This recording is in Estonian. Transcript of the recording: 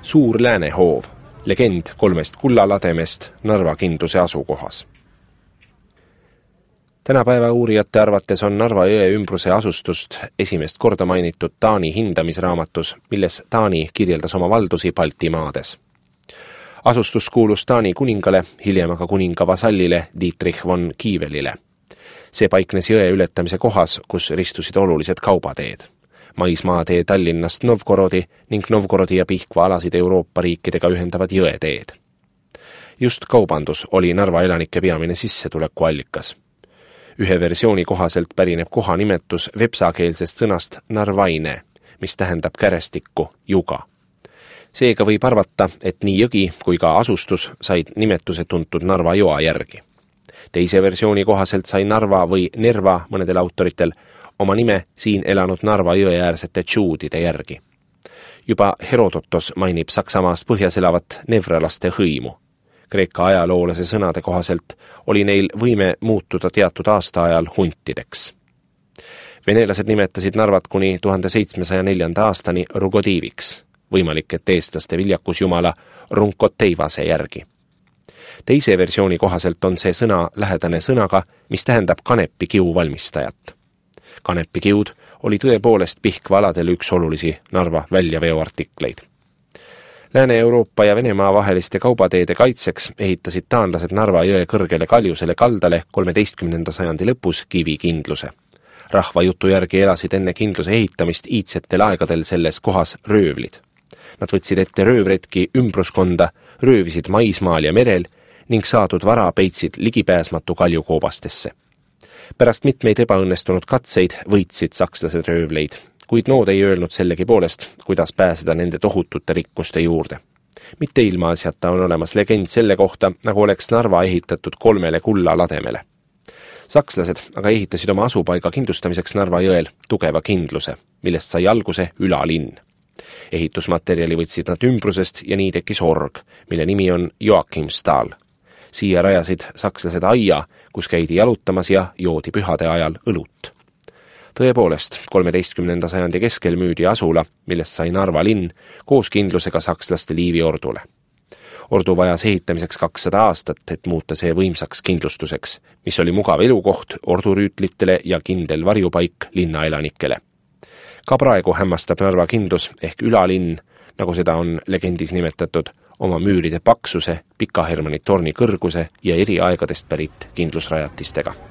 Suur Läänehoov, legend 3 kullalademest Narva kindluse asukohas. Tänapäeva uurijate arvates on Narva jõe ümbruse asustust esimest korda mainitud Taani hindamisraamatus, milles Taani kirjeldas oma valdusi Baltimaades. Asustus kuulus Taani kuningale, hiljem aga kuninga vasallile Dietrich von Kievelile. See paiknes jõe ületamise kohas, kus ristusid olulised kaubateed. Maismaatee Tallinnast Novgorodi ning Novgorodi ja Pihkva alasid Euroopa riikidega ühendavad jõeteed. Just kaubandus oli Narva elanike peamine sissetulekuallikas. Ühe versiooni kohaselt pärineb koha nimetus vepsakeelsest sõnast narvaine, mis tähendab kärestikku, juga. Seega võib arvata, et nii jõgi kui ka asustus said nimetuse tuntud Narva joa järgi. Teise versiooni kohaselt sai Narva või Nerva mõnedel autoritel oma nime siin elanud Narva jõeäärsete tšuudide järgi. Juba Herodotos mainib Saksamaast põhjas elavat nevralaste hõimu. Kreeka ajaloolase sõnade kohaselt oli neil võime muutuda teatud aastaajal huntideks. Venelased nimetasid Narvat kuni 1704. aastani Rugodiiviks, võimalik, et eestlaste viljakusjumala Runkoteivase järgi. Teise versiooni kohaselt on see sõna lähedane sõnaga, mis tähendab kanepikiu valmistajat. Kanepikiud oli tõepoolest Pihkva aladel üks olulisi Narva väljaveoartikleid. Lääne-Euroopa ja Venemaa vaheliste kaubateede kaitseks ehitasid taanlased Narva jõe kõrgele kaljusele kaldale 13. sajandi lõpus kivikindluse. Rahva jutu järgi elasid enne kindluse ehitamist iidsetel aegadel selles kohas röövlid. Nad võtsid ette röövretki ümbruskonda, röövisid maismaal ja merel ning saadud vara peitsid ligipääsmatu kaljukoobastesse. Pärast mitmeid ebaõnnestunud katseid võitsid sakslased röövleid, kuid nood ei öelnud sellegi poolest, kuidas pääseda nende tohutute rikkuste juurde. Mitte ilmaasjata on olemas legend selle kohta, nagu oleks Narva ehitatud 3 kullalademele. Sakslased aga ehitasid oma asupaiga kindlustamiseks Narva jõel tugeva kindluse, millest sai alguse ülalinn. Ehitusmaterjali võtsid nad ümbrusest ja nii tekkis org, mille nimi on Joachimsthal. Siia rajasid sakslased aia, kus käidi jalutamas ja joodi pühade ajal õlut. Tõepoolest, 13. sajandi keskel müüdi asula, millest sai Narva linn, koos kindlusega sakslaste liiviordule. Ordu vajas ehitamiseks 200 aastat, et muuta see võimsaks kindlustuseks, mis oli mugav elukoht ordurüütlitele ja kindel varjupaik linnaelanikele. Ka praegu hämmastab Narva kindlus ehk ülalinn, nagu seda on legendis nimetatud, oma müüride paksuse, Pika Hermanni torni kõrguse ja eri aegadest pärit kindlusrajatistega.